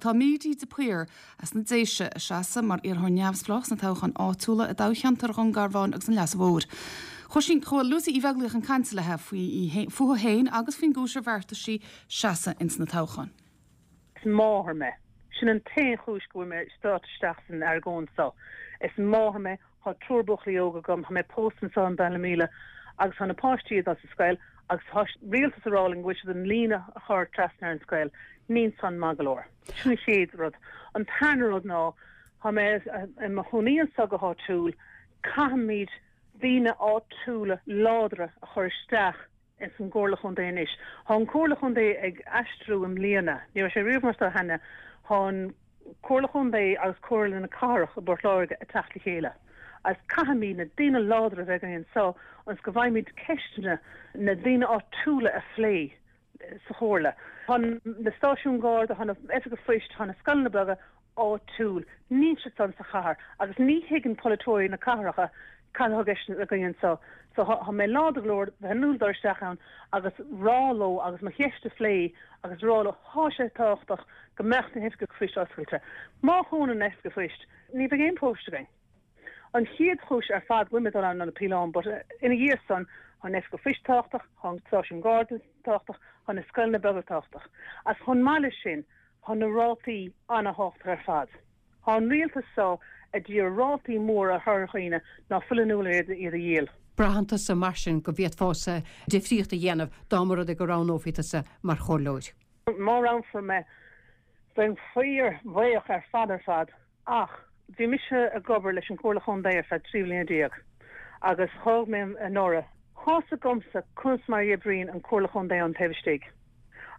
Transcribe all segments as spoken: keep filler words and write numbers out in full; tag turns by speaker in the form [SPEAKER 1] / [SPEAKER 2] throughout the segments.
[SPEAKER 1] Tá Mídí de Paor as na Déise ag seasamh mar iarrthóir neamhspleách sna toghcháin áitiúla i dtoghcheantar Dhún Garbhán agus an Leasa Mhóir. Chuaigh chuaigh Lucy Uí Bheaglaoich chun cainte léi faoi fúithi féin agus faoin gcúis ar bheartaigh sí seasamh ins na toghcháin.
[SPEAKER 2] Is máthair mé. Sin an t-aon chúis go bhfuil mé ag dul isteach san argóint seo. Is máthair mé tá triúr buachaillí óga agam, tá mé pósta anseo in Ballymena agus tá na páistí ag dul sa scoil agus tá rialtas ag rá linn go bhfuil siad an líne a chur trasna ar an scoil, níl san maith go leor. Sin an chéad rud. An tarna rud ná tá mé i mo chónaí anseo go háitiúil, caithfimid daoine áitiúla láidre a chur isteach ins an gComhairle Chontae anois. Tá an Comhairle Chontae ag aistriú i mbliana, ní raibh sé riamh mar seo cheana, tá an Comhairle Chontae agus Comhairle na Cathrach i bPort Láirge ag teacht le chéile. Agus caithfimid na daoine láidre a bheith againn anseo ionas go bhfaighimid ceisteanna na daoine áitiúla a phlé sa chomhairle. Tá na stáisiúin Garda, tá na oifigí poist, tá na scoileanna beaga áitiúil, níl siad san sa chathair agus ní thuigeann polaiteoirí na cathracha cad atá i gceist againn anseo. So tá mé láidir go leor bheith in ann dul isteach ann agus rá leo agus mo cheist a phlé agus rá leo tá sé tábhachtach go mbeadh na hoifigí poist oscailte. Má dhúnann na hoifigí poist, ní bheidh aon post againn. An chéad chúis ar fad go bhfuil mé dul ann ná na píolóin, but ina dhiaidh san tá an oifig poist tábhachtach, tá an stáisiún Garda tábhachtach, tá na scoileanna beaga tábhachtach. As chomh maith leis sin, tá na rátaí an-tábhachtach ar fad. Tá an rialtas seo ag iarraidh rátaí móra a chur ar dhaoine ná fuil in ann iad a dhíol.
[SPEAKER 3] Braitheann tusa mar sin go bhféadfása difríocht a dhéanamh dá mba rud é go roghnófaí tusa mar chomhairleoir.
[SPEAKER 2] Má roghnófar mé bheinn fíorbhuíoch ar fad ar fad ach bhí mise ag obair leis an Chomhairle Chontae ar feadh trí bliana déag agus thóg mé anuraidh. Tá's agamsa conas mar a oibríonn an Comhairle Chontae an taobh istigh.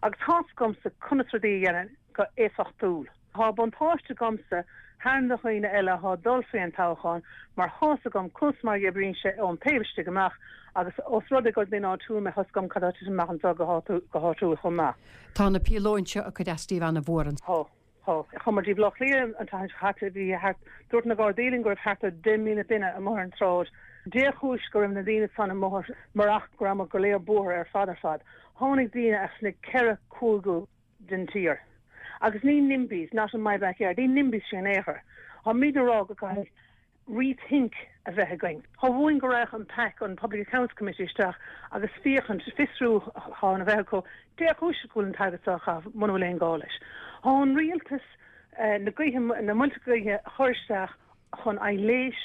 [SPEAKER 2] Agus tá's agamsa conas rudaí a dhéanamh go éifeachtúil. Tá buntáiste agamsa thar na daoine eile atá ag dul faoin toghchán mar tá's agam conas mar a oibríonn sé ón taobh istigh amach agus os rud é gur duine áitiúil mé tá's agam cad atá amach anseo go háitiúil chomh maith.
[SPEAKER 3] Tá na píolóin seo ag cur as daoibh an-mhór.
[SPEAKER 2] Tá Tá chuamar dtí Baile Átha Cliath an tseachtain seo caite bhí thart dúirt na Gardaí linn go raibh thart ar deich míle duine amuigh ar an tsráid. Dé chúis go raibh na daoine san amuigh marach go raibh go léir buartha ar fad ar fad. Tháinig daoine as na ceithre cúige den tír. Agus ní NIMBYs, not in my backyard, ní NIMBYs sin éair. Tá mé ag rá go caithfidh rethink a bheith againn. Tá uainn go raibh an PAC an Public Accounts Committee isteach agus féachaint fiosrúchán a bheith acu dé chúis go bhfuil an t-airgead seo á chaitheamh muna bhfuil aon gá leis. Tá an rialtas na gaoithe na muilte gaoithe a chur isteach chun aibhléis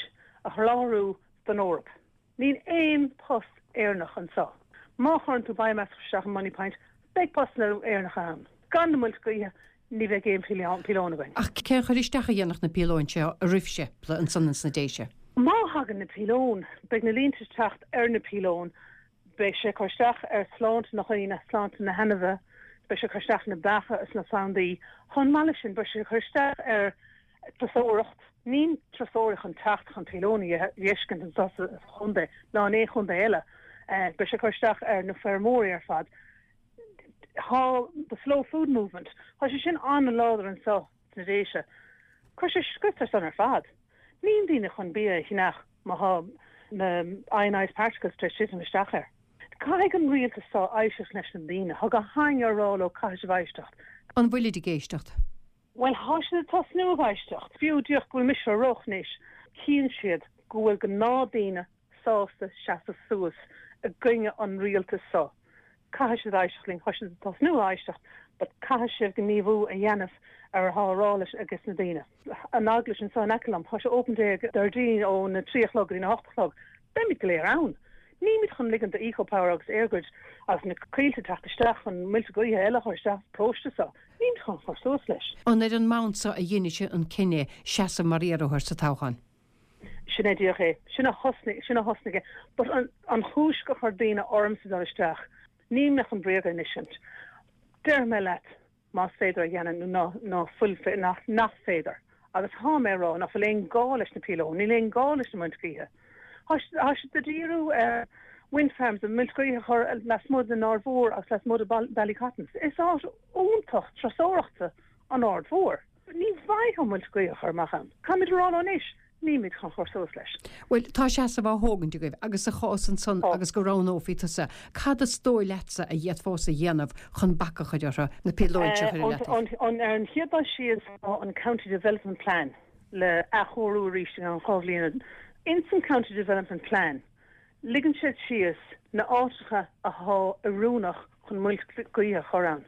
[SPEAKER 2] a sholáthar don Eoraip. Níl aon post Éireannach anseo. Má chuireann tú biomass isteach in Moneypoint, beidh postanna Éireannacha ann. Gan na muilte gaoithe ní bheidh aon píolón againn.
[SPEAKER 3] Ach cén chur isteach a dhéanfadh na píolóin seo oraibhse ansan ins na Déise?
[SPEAKER 2] Má thagann na píolóin, beidh na línte teacht ar na píolóin, beidh sé cur isteach ar sláinte na ndaoine, sláinte na hainmhithe, beidh sé cur isteach na beacha is na plandaí. Chomh maith leis sin, beidh sé cur isteach ar turasóireacht, níl turasóirí chun teacht chun píolóin a fheiscint anseo sa chontae ná in aon chontae eile. Beidh sé cur isteach ar na feirmeoirí ar fad. Tá the slow food movement, Tá sé sin an-láidir anseo sna Déise. Chuir sé scrios ar san ar fad. Níl daoine chun bia a cheannach má tá na ionized particles tar éis titim isteach air. Caithfidh an rialtas seo éisteacht leis na daoine, Tá go hainne rá leo caithfidh sibh éisteacht.
[SPEAKER 3] An bhfuilid ag éisteacht?
[SPEAKER 2] Well tá siad ag tosnú ag éisteacht. Fiú díreach go bhfuil mise á rá anois, cíonn siad go bhfuil gnáthdhaoine sásta seasamh suas i gcoinne an rialtas seo. Caithfidh siad éisteacht linn, tá siad ag tosnú éisteacht, but caithfidh sibh gníomhú a dhéanamh ar atá rá leis agus na daoine. An eaglais anseo in aice liom, tá sé open day Déardaoin ó na trí a chlog go dtí na hocht a chlog. Beimid go léir ann. Nílimid chun ligean do Ecopower agus EirGrid agus na coillte teacht isteach chun muilte gaoithe eile chur isteach paróiste seo. Nílimid chun chur suas leis.
[SPEAKER 3] An ar an mbonn seo a dhein sibh an cinneadh seasamh mar iarrthóir sa toghchán.
[SPEAKER 2] Sin é díreach é. Sin a thosnaigh sin a thosnaigh é. But an, an chúis go chuir daoine ormsa dul isteach, ní mé chun bréaga a insint. Deir mé leat más féidir a dhéanamh nó ná fuil nach, nach féidir. Agus tá mé rá nach bhfuil aon gá leis na píolóin, níl aon gá leis na muilte gaoithe. Tá siad ag díriú ar wind farms an muilte gaoithe a chur lasmuigh den Aird Mhór agus lasmuigh de Ballycotton. Is áit iontach turasóireachta an Aird Mhór. Ní bheidh an muilte gaoithe chur amach ann. Caithfimid rá anois, Nílimid chun cur suas leis.
[SPEAKER 3] Bhuel, tá seasamh á thógaint agaibh agus sa chás ansan agus go roghnófaí tusa, cad is dóigh leatsa a d'fhéadfása a dhéanamh chun bac a chur orthu, na píolóid seo a chur i leataobh?
[SPEAKER 2] Ar an chéad dul síos tá an County Development Plan le athchóiriú arís i gceann dhá bhliain. Ins an County Development Plan, ligeann siad síos na áiteacha athá oiriúnach chun muilte gaoithe a chur ann.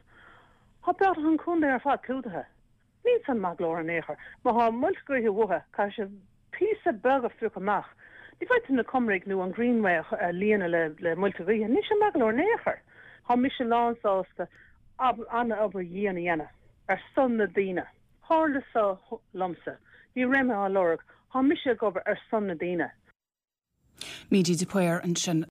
[SPEAKER 2] Tá beagnach an contae ar fad clúdaithe. Níl san maith go leor in aon chor. Má thá muilte gaoithe uathu, caithfidh siad píosa beag a phiocadh amach. Ní bheidh tú na Comaraigh nó an Greenway a líonadh le le muilte gaoithe. Níl sé maith go leor in aon chor. Thá mise lánsásta an-obair dhian a dhéanamh ar son na daoine. Tharla seo liomsa. Ní raibh mé á lorg. Thá mise ag obair ar son na daoine.
[SPEAKER 1] Mídí de Paor ansin.